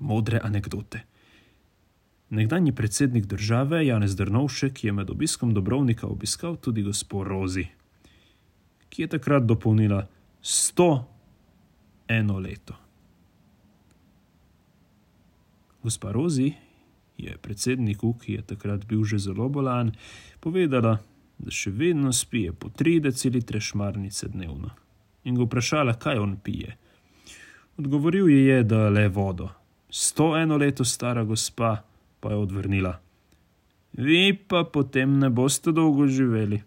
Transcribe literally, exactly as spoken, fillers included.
Modre anekdote. Nekdanji predsednik države Janez Drnovšek je med obiskom Dobrovnika obiskal tudi gospo Rozi, ki je takrat dopolnila sto eno leto. Gospa Rozi je predsedniku, ki je takrat bil že zelo bolan, povedala, da še vedno spije po tri decilitre šmarnice dnevno, in ga vprašala, kaj on pije. Odgovoril ji je, da le vodo. Sto eno leto stara gospa pa je odvrnila: vi pa potem ne boste dolgo živeli.